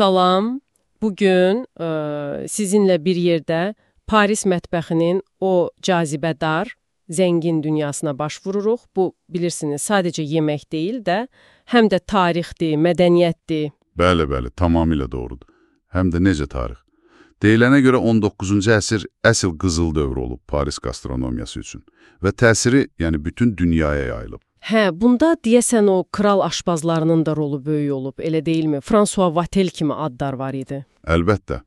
Salam, bugün sizinlə bir yerdə Paris mətbəxinin o cazibədar, zəngin dünyasına baş vururuq. Bu, bilirsiniz, sadəcə yemək deyil də, həm də tarixdir, mədəniyyətdir. Bəli, tamamilə doğrudur. Həm də necə tarix? Deyilənə görə 19-cu əsr əsl qızıl dövr olub Paris gastronomiyası üçün və təsiri, yəni bütün dünyaya yayılıb. Hə, bunda deyəsən o kral aşpazlarının da rolu böyük olub, elə deyilmi? François Vatel kimi adlar var idi. Əlbəttə.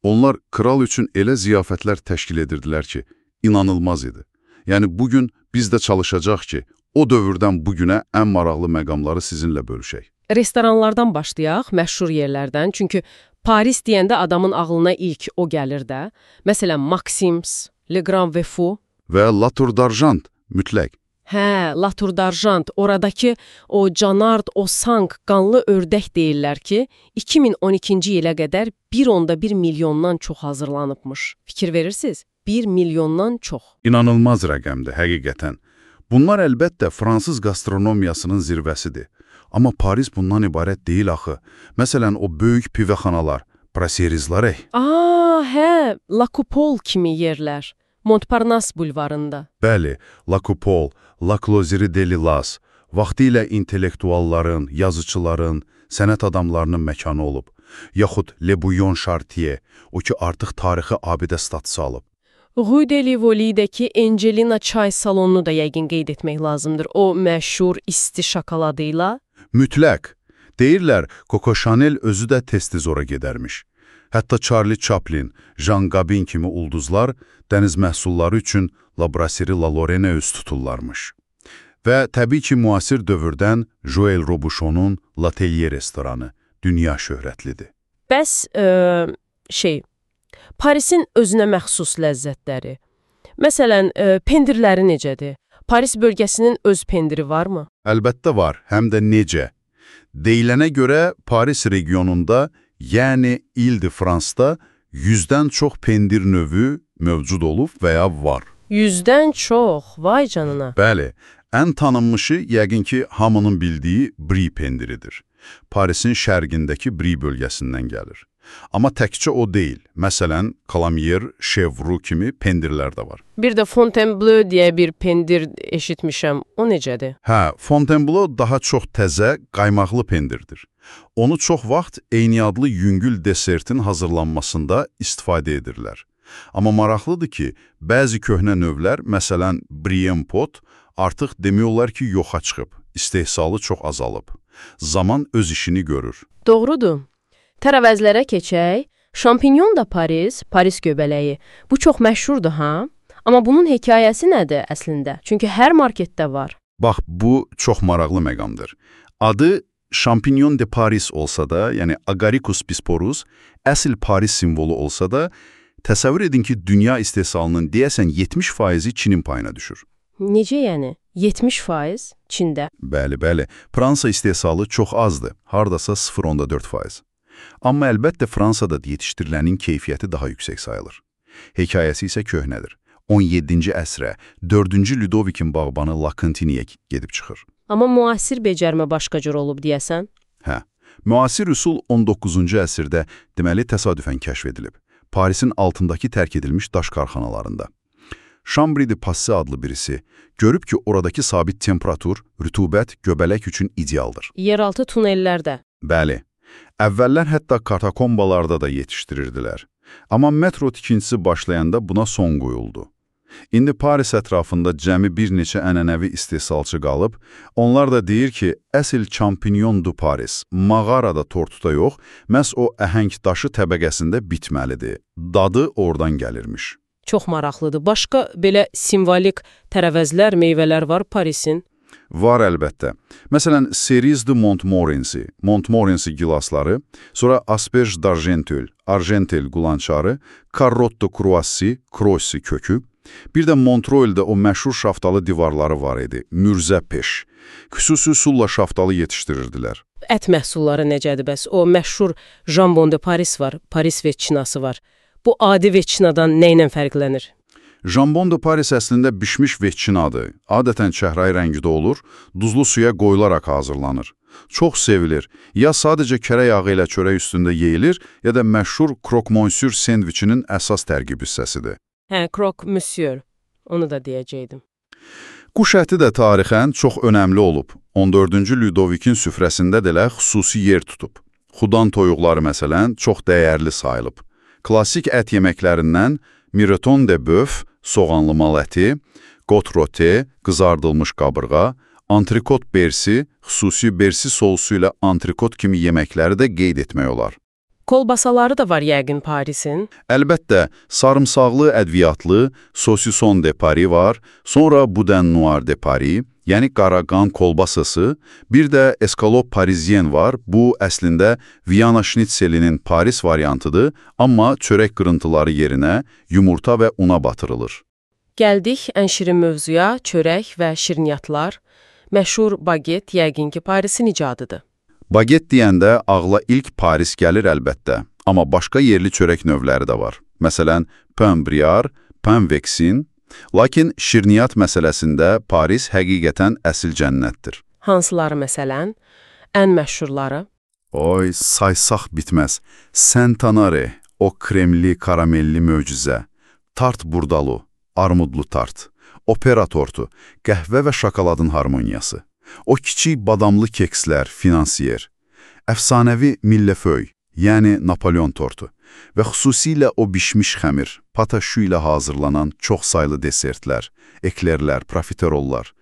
Onlar kral üçün elə ziyafətlər təşkil edirdilər ki, inanılmaz idi. Yəni bugün biz də çalışacaq ki, o dövrdən bugünə ən maraqlı məqamları sizinlə bölüşək. Restoranlardan başlayaq, məşhur yerlərdən. Çünki Paris deyəndə adamın ağlına ilk o gəlir də. Məsələn, Maxims, Le Grand Vefu və La Tour d'Argent mütləq. Hə, La Tour d'Argent, oradakı o Canard, o Sank, qanlı ördək deyirlər ki, 2012-ci ilə qədər 1,1 milyondan çox hazırlanıbmış. Fikir verirsiniz? 1 milyondan çox. İnanılmaz rəqəmdir, həqiqətən. Bunlar əlbəttə fransız gastronomiyasının zirvəsidir. Amma Paris bundan ibarət deyil axı. Məsələn, o böyük pivəxanalar, brasserizlər. Hə, La Coupole kimi yerlər. Montparnasse bulvarında. Bəli, La Coupole, La Closerie de Lillas, vaxtilə intellektualların, yazıçıların, sənət adamlarının məkanı olub. Yaxud Le Bouillon Chartier, o ki artıq tarixi abidə statusu alıb. Rue de Rivoli'dəki Angelina çay salonunu da yəqin qeyd etmək lazımdır. O məşhur isti şokoladıyla. Mütləq. Deyirlər, Coco Chanel özü də tez-tez ora gedərmiş. Hətta Charlie Chaplin, Jean Gabin kimi ulduzlar dəniz məhsulları üçün La Brasserie La Lorraine üz tuturlarmış. Və təbii ki, müasir dövrdən Joël Robuchon'un L'Atelier restoranı dünya şöhrətlidir. Bəs, Parisin özünə məxsus ləzzətləri. Məsələn, pendirləri necədir? Paris bölgəsinin öz pendiri varmı? Əlbəttə var, həm də necə. Deyilənə görə Paris regionunda, yəni İl-de-Fransda 100-dən çox pendir növü mövcud olub və ya var. 100-dən çox, vay canına. Bəli, ən tanınmışı yəqin ki, hamının bildiyi Brie pendiridir. Parisin şərqindəki Brie bölgəsindən gəlir. Amma təkcə o deyil. Məsələn, Calamier, Chevroux kimi pendirlər də var. Bir də Fontainebleau deyə bir pendir eşitmişəm. O necədir? Hə, Fontainebleau daha çox təzə, qaymaqlı pendirdir. Onu çox vaxt eyni adlı yüngül desertin hazırlanmasında istifadə edirlər. Amma maraqlıdır ki, bəzi köhnə növlər, məsələn, Brie pot, artıq demək olar ki, yoxa çıxıb, istehsalı çox azalıb. Zaman öz işini görür. Doğrudur. Tərəvəzlərə keçək. Şampinyon da Paris göbələyi. Bu çox məşhurdur, ha? Amma bunun hekayəsi nədir əslində? Çünki hər marketdə var. Bax, bu çox maraqlı məqamdır. Adı Champignon de Paris olsa da, yəni Agaricus bisporus, əsl Paris simvolu olsa da, təsəvvür edin ki, dünya istehsalının deyəsən 70%-i Çinin payına düşür. Necə yəni? 70% Çində? Bəli. Fransa istehsalı çox azdır, hardasa 0,4%. Amma əlbəttə Fransada yetişdirilənin keyfiyyəti daha yüksək sayılır. Hekayəsi isə köhnədir. 17-ci əsrə 4-cü Ludovikin bağbanı La Cantiniyə gedib çıxır. Amma müasir becərmə başqa cür olub deyəsən? Hə, müasir üsul 19-cu əsrdə deməli təsadüfən kəşf edilib. Parisin altındakı tərk edilmiş daş karxanalarında. Chambry de Passy adlı birisi görüb ki, oradakı sabit temperatur, rütubət, göbələk üçün idealdır. Yeraltı tunellərdə. Bəli. Əvvəllər hətta katakombalarda da yetişdirirdilər. Amma metro tikintisi başlayanda buna son qoyuldu. İndi Paris ətrafında cəmi bir neçə ənənəvi istehsalçı qalıb, onlar da deyir ki, əsl Champignon du Paris, mağarada tortuda yox, məhz o əhəng daşı təbəqəsində bitməlidir. Dadı oradan gəlirmiş. Çox maraqlıdır. Başqa belə simvolik tərəvəzlər, meyvələr var Parisin? Var əlbəttə. Məsələn, Cerise de Montmorency gilasları, sonra Asperge d'Argenteuil, Argentel qulançarı, Carotte de Croissy kökü, bir də Montreuil'də o məşhur şaftalı divarları var idi, Mürzə peş. Xüsusi üsulla şaftalı yetişdirirdilər. Ət məhsulları necədir bəs? O məşhur Jambon de Paris var, Paris veçinası var. Bu adi veçinadan nə ilə fərqlənir? Jambon de Paris əslində bişmiş vetçinadır. Adətən çəhrayı rəngdə olur, duzlu suya qoyularaq hazırlanır. Çox sevilir. Ya sadəcə kərə yağı ilə çörək üstündə yeyilir, ya da məşhur krok-monsieur sendviçinin əsas tərkib hissəsidir. Hə, krok-monsieur. Onu da deyəcəydim. Quş əti də tarixən çox önəmli olub. 14-cü Lüdovikin süfrəsində də xüsusi yer tutub. Xudan toyuqları məsələn çox dəyərli sayılıb. Klassik ət yeməklərindən miroton de bœuf, soğanlı mal əti, got rote, qızardılmış qabırğa, antrikot bersi, xüsusi bersi sousu ilə antrikot kimi yeməkləri də qeyd etmək olar. Kolbasaları da var yəqin Parisin. Əlbəttə, sarımsaqlı, ədviyyatlı, saucisson de Paris var, sonra boudin noir de Paris, yəni qaraqan kolbasası, bir də escalope parisien var. Bu, əslində, Viyana şnitselinin Paris variantıdır, amma çörək qırıntıları yerinə yumurta və una batırılır. Gəldik ən şirin mövzuya, çörək və şirniyyatlar. Məşhur baget yəqin ki, Parisin icadıdır. Baget deyəndə ağla ilk Paris gəlir əlbəttə, amma başqa yerli çörək növləri də var. Məsələn, pain briard, pain vexin. Lakin şirniyyat məsələsində Paris həqiqətən əsl cənnətdir. Hansıları məsələn? Ən məşhurları? Oy, saysaq bitməz. Saint-Honoré, o kremli, karamelli möcüzə. Tart burdalu, armudlu tart. Opera tortu, qəhvə və şokoladın harmoniyası. O kiçik badamlı kekslər, finansiyer. Əfsanəvi milleföy, yəni Napoleon tortu və xüsusilə o bişmiş xəmir, pataşu ilə hazırlanan çox saylı desertlər, eklerlər, profiterollar.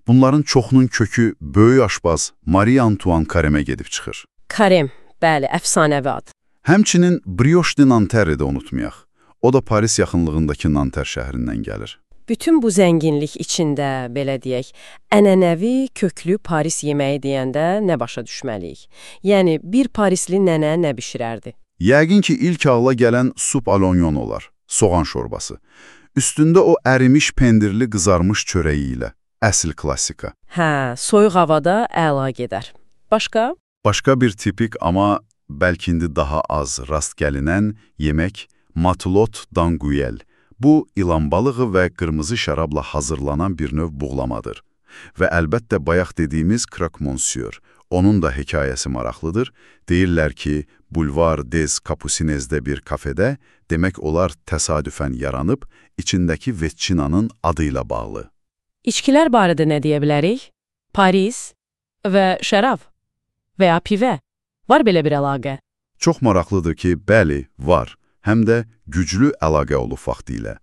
Bunların çoxunun kökü böyük aşbaz Marie Antoine Carême gedib çıxır. Carême, bəli, əfsanəvi ad. Həmçinin Brioche de Nanterre də unutmayaq. O da Paris yaxınlığındakı Nanter şəhərindən gəlir. Bütün bu zənginlik içində, belə deyək, ənənəvi, köklü Paris yeməyi deyəndə nə başa düşməliyik? Yəni, bir Parisli nənə nə bişirərdi? Yəqin ki, ilk ağla gələn sup alonyon olar, soğan şorbası. Üstündə o ərimiş pendirli qızarmış çörəyi ilə, əsl klassika. Hə, soyuq havada əla gedər. Başqa? Başqa bir tipik, amma bəlkə indi daha az rast gəlinən yemək matelot d'anguille. Bu, ilan balığı və qırmızı şərabla hazırlanan bir növ buğlamadır. Və əlbəttə bayaq dediyimiz krok-monsieur. Onun da hekayəsi maraqlıdır. Deyirlər ki, Boulevard des Capucinez'də bir kafedə, demək olar təsadüfən yaranıb, içindəki vetçinanın adıyla bağlı. İçkilər barədə nə deyə bilərik? Paris və şərab və ya pivə. Var belə bir əlaqə? Çox maraqlıdır ki, bəli, var. Həm də güclü əlaqə olub vaxtilə.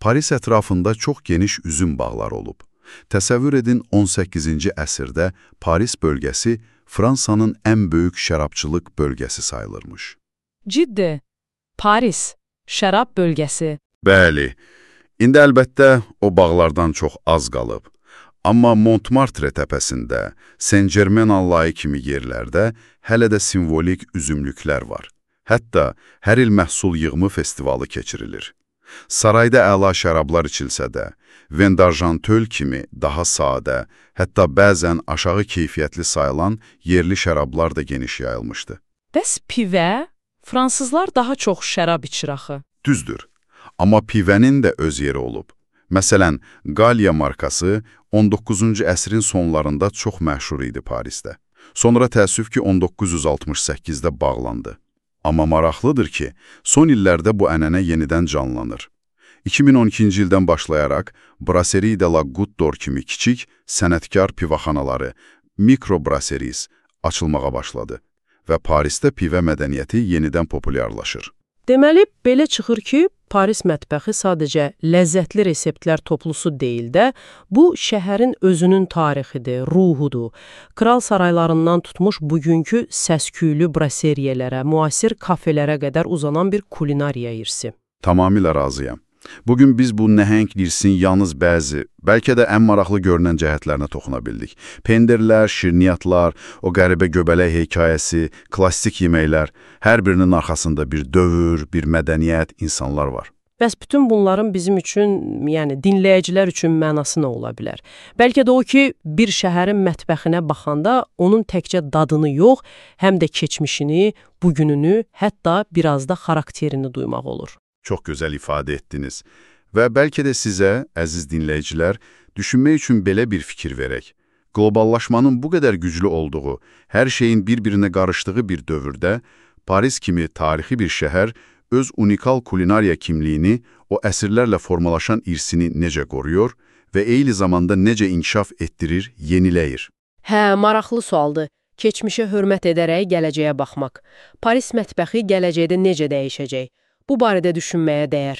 Paris ətrafında çox geniş üzüm bağları olub. Təsəvvür edin, 18-ci əsrdə Paris bölgəsi Fransanın ən böyük şərabçılıq bölgəsi sayılırmış. Ciddi. Paris, şərab bölgəsi. Bəli. İndi əlbəttə o bağlardan çox az qalıb. Amma Montmartre təpəsində, Saint-Germain-en-Laye kimi yerlərdə hələ də simvolik üzümlüklər var. Hətta hər il məhsul yığımı festivalı keçirilir. Sarayda əla şərablar içilsə də, Vendarjantöl kimi daha sadə, hətta bəzən aşağı keyfiyyətli sayılan yerli şərablar da geniş yayılmışdı. Bəs pivə? Fransızlar daha çox şərab içir axı. Düzdür, amma pivənin də öz yeri olub. Məsələn, Gallia markası 19-cu əsrin sonlarında çox məşhur idi Parisdə. Sonra təəssüf ki, 1968-də bağlandı. Amma maraqlıdır ki, son illərdə bu ənənə yenidən canlanır. 2012-ci ildən başlayaraq Brasserie de la Goutte d'Or kimi kiçik, sənətkar pivaxanaları, mikrobrasseries açılmağa başladı və Parisdə pivə mədəniyyəti yenidən populyarlaşır. Deməli, belə çıxır ki, Paris mətbəxi sadəcə ləzzətli reseptlər toplusu deyil də, bu şəhərin özünün tarixidir, ruhudur. Kral saraylarından tutmuş bugünkü səsküylü brasseriyələrə, müasir kafelərə qədər uzanan bir kulinariya irsi. Tamamilə razıyam. Bugün biz bu nəhəng irsin yalnız bəzi, bəlkə də ən maraqlı görünən cəhətlərinə toxuna bildik. Pendirlər, şirniyyatlar, o qəribə göbələk hekayəsi, klassik yeməklər, hər birinin arxasında bir dövr, bir mədəniyyət, insanlar var. Bəs bütün bunların bizim üçün, yəni dinləyicilər üçün mənası nə ola bilər? Bəlkə də o ki, bir şəhərin mətbəxinə baxanda onun təkcə dadını yox, həm də keçmişini, bugününü, hətta biraz da xarakterini duymaq olur. Çox gözəl ifadə etdiniz. Və bəlkə də sizə, əziz dinləyicilər, düşünmək üçün belə bir fikir verək. Qloballaşmanın bu qədər güclü olduğu, hər şeyin bir-birinə qarışdığı bir dövrdə, Paris kimi tarixi bir şəhər öz unikal kulinariya kimliyini, o əsrlərlə formalaşan irsini necə qoruyur və eyni zamanda necə inkişaf etdirir, yeniləyir? Hə, maraqlı sualdır. Keçmişə hörmət edərək gələcəyə baxmaq. Paris mətbəxi gələcəkdə necə dəyişəcək? Bu barədə düşünməyə dəyər.